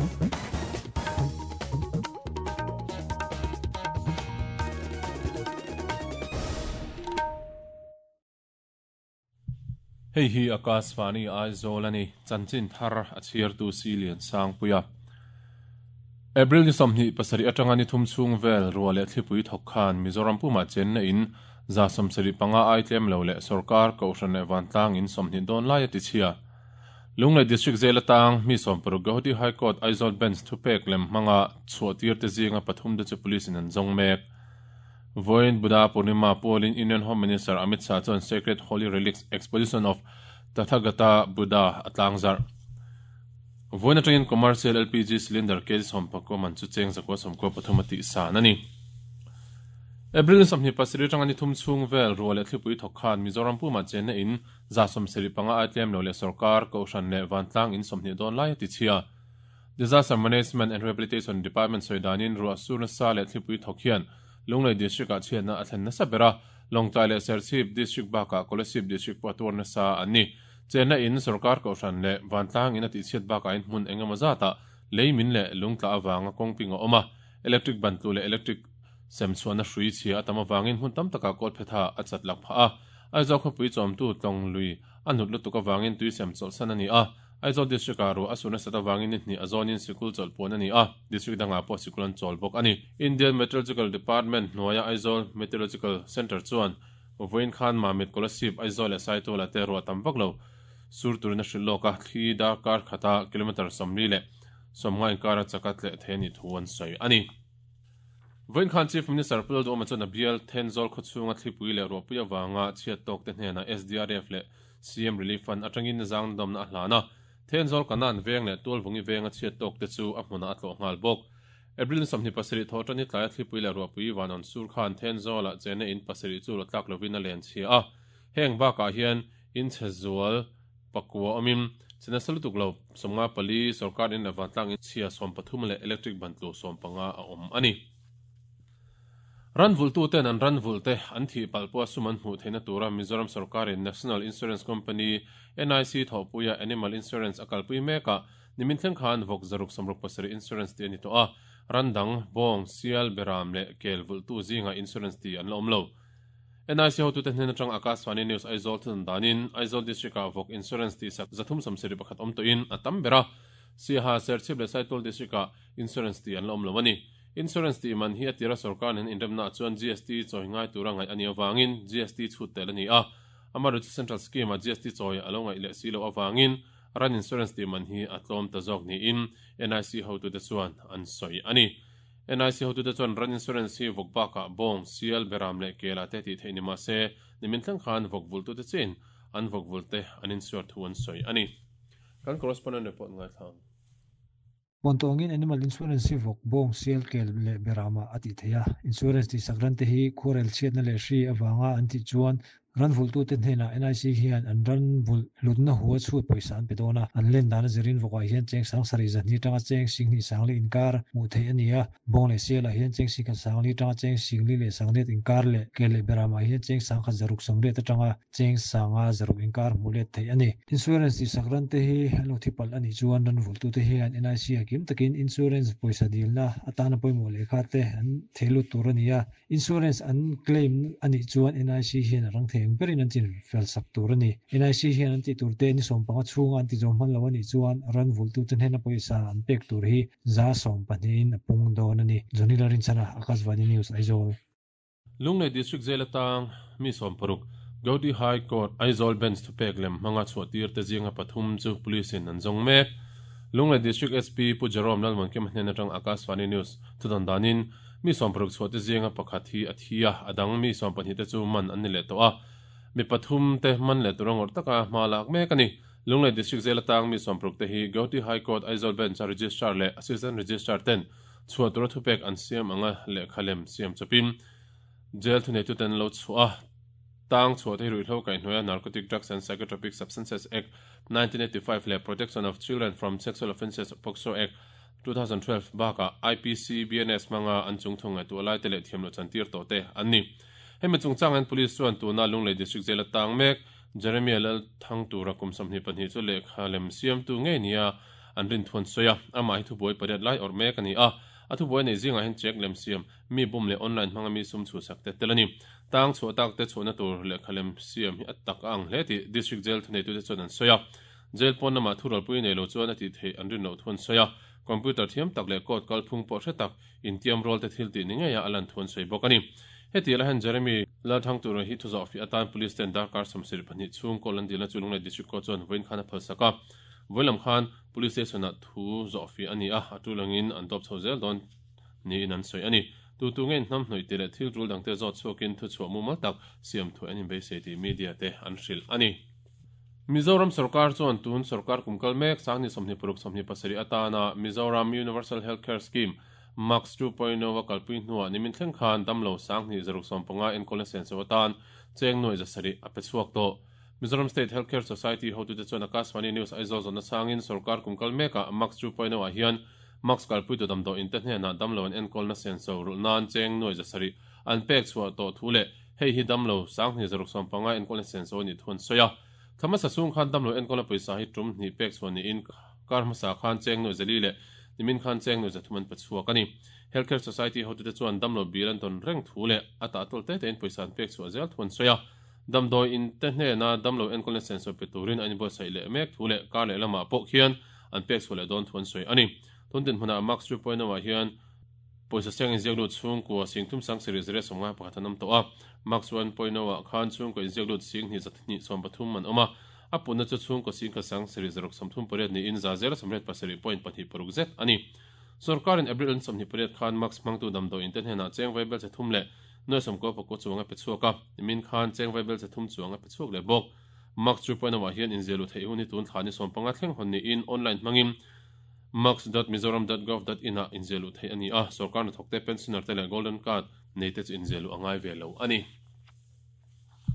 Hei hi Akashvani Aizawl a ni, chanchin thar a chhiartu Si Liansangpuia. April ni 27 atanga ni thum chhung vel ruah leh thlipui thawk khan Mizoram pumah chenna in 75 ai tlem lo leh sorkar, kohhran leh vantlang in 20 dawn lai a ti chhia. Lunglei District Jail atang mi 60 Guwahati High Court Aizawl Bench thupek lem hmanga chhuah tir te zinga pathum te chu police in an zawng mek. Vawiin Buddha Purnima pualin Union Home Minister Amit Shah chuan Sacred Holy Relics Exposition of Tathagata Buddha a tlangzarh. Vawiin atangin Commercial LPG Cylinder kg 19 man chu cheng 993 a tih san a ni. April ni 27 atanga ni thum chhung vel ruah leh thlipui thawk khan Mizoram pumah chenna in 75 ai tlem lo leh sorkar, kohhran leh vantlang in 20 dawn lai a ti chhia. Disaster Management and Rehabilitation Department sawi danin ruah sur nasa leh thlipui thawk hian Lunglei District-ah chhiatna a thlen nasa ber a, Lawngtlai leh Serchhip District bakah Kolasib District pawh a tuar nasa an ni. Chenna in, sorkar kohhran leh vantlang in a tihchhiat bakah in hmun eng emaw zatah lei min leh lung tla avanga kawngping a awm a, electric ban tlu leh electric sem chhuahna hrui chhia a tam avangin hmun tam takah kawlphetha a chat lak phah a. Aizawl khawpui chawmtu tlawng lui a hnut lutuk avangin tui sem chawlhsan a ni a. Aizawl District-ah ruah a sur nasat avangin ni hnih a zawnin sikul chawlh puan a ni a, District dangah pawh sikul an chawl bawk a ni. Indian Meteorological Department hnuaia Aizawl Meteorological Centre chuan vawiin khan Mamit, Kolasib, Aizawl leh Saituala te ruah tam vak lo sur turin a hrilh lawk a, thli darkar khata kilometre 40 le 50 inkara chaka tleh thei a nih thu an sawi a ni. Vawiin khan Chief Minister Pu Lalduhawma chuan a bial Thenzawl khawchhunga thlipui leh ruahpui avanga chhiat tawk te hnenah SDRF leh CM Relief Fund atangin zang dawmna a hlan a, Thenzawl Kanan veng leh Tualvungi venga chhiat tawk te chu a hmunah a tlawh nghal bawk. April ni 27 thawh tan hi tlaia thlipui leh ruahpui vanawn sur khan Thenzawlah chena in pasarih chu rawtlak lovin a len chhia a, heng bakah hian in chhe zual pakua awmin che nasa lutuk lo 54 sorkar in leh vantlang in chhia 13 leh electric ban tlu 15 a awm a ni. Ran vulhtuten an ran vulhte an thih palh pawha sum an hmuh theihna tura Mizoram sorkarin National Insurance Company, NIC, thawhpuia Animal Insurance a kalpui mekah nimin thleng khan vawk 167 insurance tih a ni tawh a, ran dang, bawng, sial, beram leh kel vulhtu zingah insurance tih an la awm lo. NIC hotute hnen atang Akashvani News Aizawl thudan danin Aizawl District-ah vawk insurance tihsak 371 awm tawhin a tam ber a, Siaha, Serchhip leh Saitual District-ah insurance tih an la awm lo a ni. Insurance tih man hi a tira sorkar nen inremnaah chuan GST chawi ngai tura ngaih a nih avangin GST chhut tel a ni a. Amaherawhchu chu Central Scheme-ah GST chawi a lo ngaih leh si loh avangin ran insurance tih man hi a tlawm ta zawk niin NIC hotute chuan an sawi a ni. NIC hotute chuan ran insurance hi vawk bakah bawng, sial, beram leh kela te tih theih ni mah se nimin thleng khan vawk vultute chiin an vawk vulte an insure thu an sawi a ni. Kan correspondent report ngaithla ang. Puantawngin Animal Insurance hi vawk, bawng, sial, kel leh beramah a tih theih a. Insurance tihsak ran te hi khuarel chhiatna leh hri avanga an tih chuan ran vulhtute hnenah NIC hian an ran vulh hlutna hua chhut pawisa an pe dawn a. An len dan a zirin vawkah hian cheng sang sarih zahnih atanga cheng singhnih sangli inkar hmuh theih a ni a. Bawng leh sialah hian cheng singkhat sangli atanga cheng singli leh sangriat inkar leh kel leh beramah hian cheng sangkhat zaruk sawmriat atanga cheng sanga zaruk inkar hmuh let theih a ni. Insurance tihsak ran te hi an lo thi palh a nih chuan ran vulhtute hian NIC a kim takin insurance pawisa dilna atana pawimawh lehkha te an thei lut tur a ni a. Insurance an claim a nih chuan NIC hian a rang thei ang berin an chin fel sak tur a ni. NIC hian an tih tur te ni 15 chhunga an ti zawm hman lo a nih chuan ran vulhtute hnena pawisa an pek tur hi 20% in a pung dawn a ni. Johnny Lalrinchhana, Akashvani News, Aizawl. Lunglei District Jail atang mi 60 Gauhati High Court Aizawl Bench thupek lem hmanga chhuahtir te zinga pathum chu Police in an zawng mek. Lunglei District SP Pu Jerome Lalmuankima hnen atang Akashvani News thudawn danin mi 60 chhuah te zinga pakhat hi a thi a, a dang mi 12 te chu man an ni leh tawh a. Mi pathum te man leh tura ngawrh taka hma lak mek a ni. Lunglei District Jail atang mi 60 te hi Gauhati High Court Aizawl Bench a Registrar leh Assistant Registrar ten Chhuah tura thupek an siam anga lehkha lem siam chawpin jail thuneitute an lo chhuah a, tang chhuah te hi ruihhlo kaihhnuaia Narcotic Drugs and Psychotropic Substances Act, 1985 leh Protection of Children from Sexual Offences, POCSO, Act, 2012 bakah IPC, BNS hmanga an chungthu ngaihtuah laite leh thiamloh chantir tawh te an ni. Hemi chungchang hian Police chuan tuna Lunglei District Jail a tang mek Jeremiah Lalthangtura kum 22 chu lehkha lem siamtu ngei nia. an rin thu an sawi a, amah hi thubuai pariat lai awrh mek a ni a, a thubuai nei zingah hian check lem siam, mi bum leh online hmanga mi sum chhuhsak te tel a ni. Tang chhuah tak te chhuahna tur lehkha lem siam hi a tak a ang hle tih District Jail thuneitute chuan an sawi a, Jail pawn lamah thurawlpui nei lo chuan a tih theih an rin loh thu an sawi a, computer thiam tak leh court kalphung pawh hre tak intiam rual te thil tih ni ngeia a lan thu an sawi bawk a ni. Heti la hian Jeremy Lalthangtura hi thuzawh fiah atan Police ten darkar 72 chhung kawl an dilna chu Lunglei District Court chuan vawiin khan a phalsak a, vawiin lam khan Police Station ah thu zawh fiah a ni a, a tul angin an dawp chho zel dawn niin an sawi a ni. Tu tu nge hnam hnawih tih leh thil tul dangte zawt chhuakin thuchhuah mumal tak siam thuai an inbeisei tih media te an hrilh a ni. Mizoram sorkar chuan tun sorkar kum kal mek Sangni 26 27 atana Mizoram Universal Health Care Scheme, MACS 2.0 a kalpui hnuah nimin thleng khan damlo Sangni 150 enkawlna senso atan cheng nuai 700 a pe chhuak tawh. Mizoram State Health Care Society hotute chuan Akashvani News Aizawl zawhna changin sorkar kum kal mekah MACS 2.0 ah hian MACS kalpuitu damdawi inte hnenah damlo an enkawlna senso rulh nan cheng nuai 700 an pek chhuah tawh thu leh hei hi damlo Sangni 150 enkawlna senso a nih thu an sawi a. Thla hmasa chhung khan damlo enkawlna pawisa hi tum hnih pek chhuah niin kar hmasa khan cheng nuai 4 leh nimin khan cheng nuai 3 an pe chhuak a ni. Health Care Society hotute chuan damlo bil an tawn reng thu leh a tah tawl te tein pawisa an pek chhuah zel thu an sawi a. Damdawi in te hnena damlo enkawlna senso pe turin an inbuatsaih leh mek thu leh kar leh lamah pawh khian an pek chhuah leh dawn thu an sawi a ni. Tun dinhmunah Max 2.0 ah hian pawisa seng inziak lut chhungkua sing thum sang sarih zariat sawmngai pakhat an awm tawh a. Max 1.0 ah khan chhungkaw inziak lut sing hnih za hnih 13 an awm a. A punna chu chhungkaw sing khat sang sarih zaruk 38 niin za zela 88.26 zet a ni. Sorkarin April an 28 khan Max hmangtu damdawi in te hnenah cheng vai belchhe thum leh nuai sawmkua pakua chuang a pe chhuak a, nimin khan cheng vai belchhe thum chuang a pe chhuak leh bawk. Max 2.0 ah hian inziah luh theih hun hi tun thla ni 15 thleng hawn niin online hmangin max.mizoram.gov.in ah inziah luh theih a ni a, sorkar hnathawkte, pensioner te leh golden card nei te chu inziah luh a ngai ve lo a ni.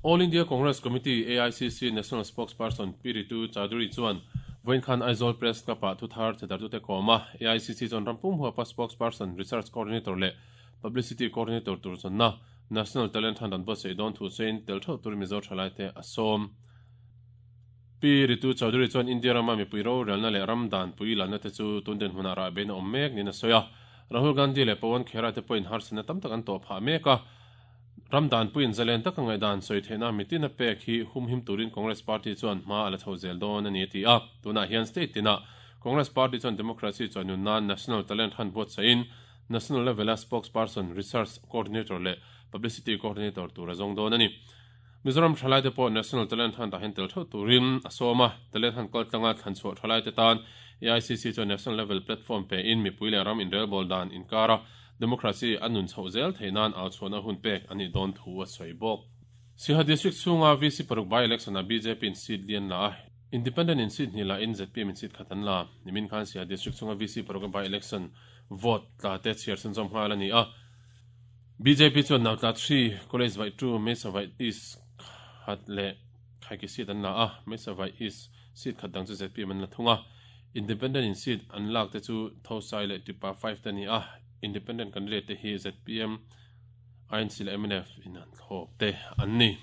All India Congress Committee, AICC, National Spokesperson Pi Ritu Chaudhary chuan vawiin khan Aizawl Press Club-ah thuthar thedartute kawm a, AICC chuan rampum huapa Spokesperson, Research Coordinator leh Publicity Coordinator tur zawnna National Talent Hunt an buatsaih dawn thu sawiin tel theuh tur Mizo thalaite a sawm. Pi Ritu Chaudhary chuan India rama mipui rorelna leh ram danpui lanna te chu tun dinhmunah rahbein a awm mek niin a sawi a. Rahul Gandhi leh Pawan Khera te pawhin harsatna tam tak an tawh phah mek a. Ram danpuiin zalen taka ngaihdan sawi theihna mitin a pek hi humhim turin Congress Party chuan hma a la chho zel dawn a ni a ti a. Tunah hian state tinah Congress Party chuan democracy chuan nun nan National Talent Hunt buatsaihin National level-a spokesperson, research coordinator leh publicity coordinator tur a zawng dawn a ni. Mizoram thalaite pawh National Talent Hunt-ah hian tel theuh turin a sawm a, Talent Hunt kaltlanga thlanchhuah thalaite tan AICC chuan National level platform pein mipui leh ram inrelbawl dan inkara democracy a nun chhoh zel theih nan au chhuahna hun pek a nih dawn thu a sawi bawk. Siaha District chhunga VC paruk by-election-ah bjp in seat lian la a, Independent in seat hnih la in zpm in seat khat an la. Nimin khan Siaha District chhunga VC paruk a by-election vote tla te chhiar chhunzawm nghal a ni a. Bjp chuan Nautla 3, College Vaih 2, Mesa Vaih East khat leh Khaiki seat an la a, Mesa Vaih East seat khat dang chu zpm an la thung a. Independent in seat an lak te chu Thosai leh Tipa 5 te a ni a, Independent candidate te hi zpm, INC leh mnf in an thlawp te an ni.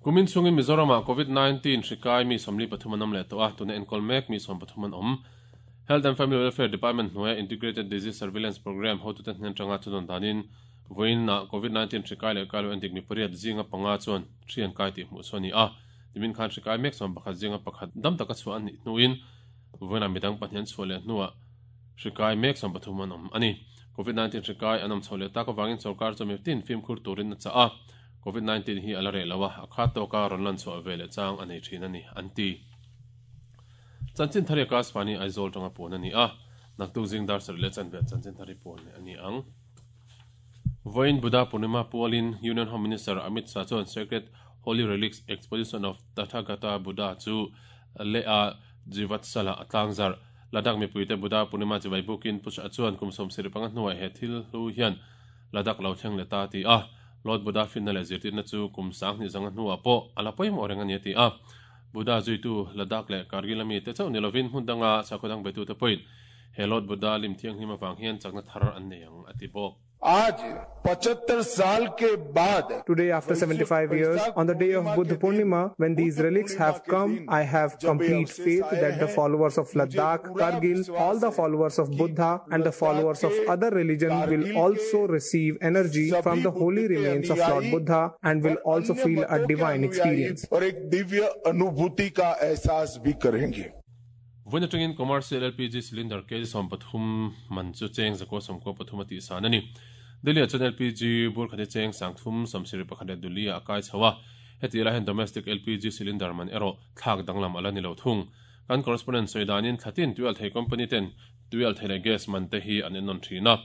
Kumin chhungin Mizoramah Covid-19 hri kai mi 43 an awm leh tawh a, tuna enkawl mek mi 13 an awm. Health and Family Welfare Department hnuaia Integrated Disease Surveillance Programme hotute hnen atanga thudawn danin vawiinah Covid-19 hri kai leh kai lo endik mi pariat zinga panga chuan hri an kai tih hmuh chu a ni a. Nimin khan hri kai mek 11 zinga pakhat dam taka chhuah an nih hnuin vawiinah midang pahnih an chhuah leh hnuah hri kai mek 13 an awm a ni. Covid-19 hri kai an awm chho leh tak avangin sorkar chu mitin fimkhur turin a chah a. Covid-19 hi a la reh lo a, a khat tawka rawn lan chhuah ve leh chang a nei thin a ni, an ti. Chanchin thar hi Akashvani Aizawl tanga puan a ni a, naktuk zing dar sarih leh chanve chanchin thar hi puan leh a ni ang. Vawiin Buddha Purnima pualin Union Home Minister Amit Shah chuan Sacred Holy Relics Exposition of Tathagata Buddha chu leh a Jivatsala a tlangzarh. Ladakh mipuite Buddha Purnima chibai bukin Pu Shah chuan kum 75 hnuah he thil hlu hian Ladakh lo thleng leh ta a ti a. Lord Buddha finna leh zirtirna chu kum 2000 zanga hnuah pawh a la pawimawh reng a ni a ti a. Buddha zuitu Ladakh leh Kargil ami te chauh ni lovin hmun danga sakhaw dang betute pawhin he Lord Buddha lim thianghlim avang hian chakna thar an nei ang a ti bawk. Aaj 75 saal ke baad Today, after 75 years, on the day of Buddha Purnima, when these relics have come, I have complete faith that the followers of Ladakh, Kargil, all the followers of Buddha and the followers of other religion will also receive energy from the holy remains of Lord Buddha and will also feel a divine experience. और एक दिव्य अनुभूति का एहसास भी करेंगे Vawiin atangin commercial LPG cylinder kg 13 man chu cheng 193 a tihsan a ni. Delhi ah chuan LPG bur khat hi cheng 371 leh Duli ah a kai chho a, heti lai hian domestic LPG cylinder man erawh thlak danglam a la ni lo thung. Kan correspondent sawi danin thlatin tuialthei company ten tuialthei leh gas man te hi an ennawn thin a,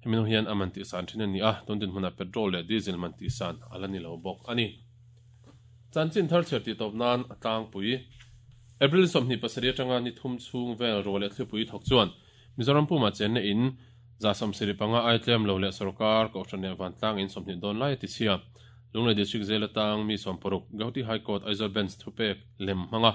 hemi hnu hian a man tihsan thin a ni a, tun dinhmunah petrol leh diesel man tihsan a la ni lo bawk a ni. Chanchin thar chhiar tih tawp nan a tlangpui. April 27 atanga ni thum chhung vel ruah leh thlipui thawk chuan Mizoram pumah chenna in 75 ai tlem lo leh sorkar Kohhran leh Vantlang in 20 dawn lai a ti chhia. Lunglei District Jail atang mi 60 Gauhati High Court Aizawl Bench thupek lem hmanga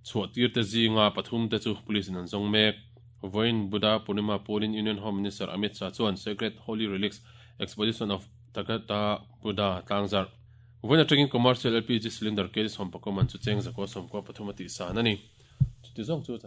chhuah tir te zinga pathum te chu police in an zawng mek. Vawiin Buddha Purnima Pulin Union Home Minister Amit Shah chuan Sacred Holy Relics Exposition of Tathagata Buddha tlangzarh Vawiin atangin Commercial LPG Cylinder kg 11 man chu cheng 193 a tihsan a ni. Chuti zawng chu.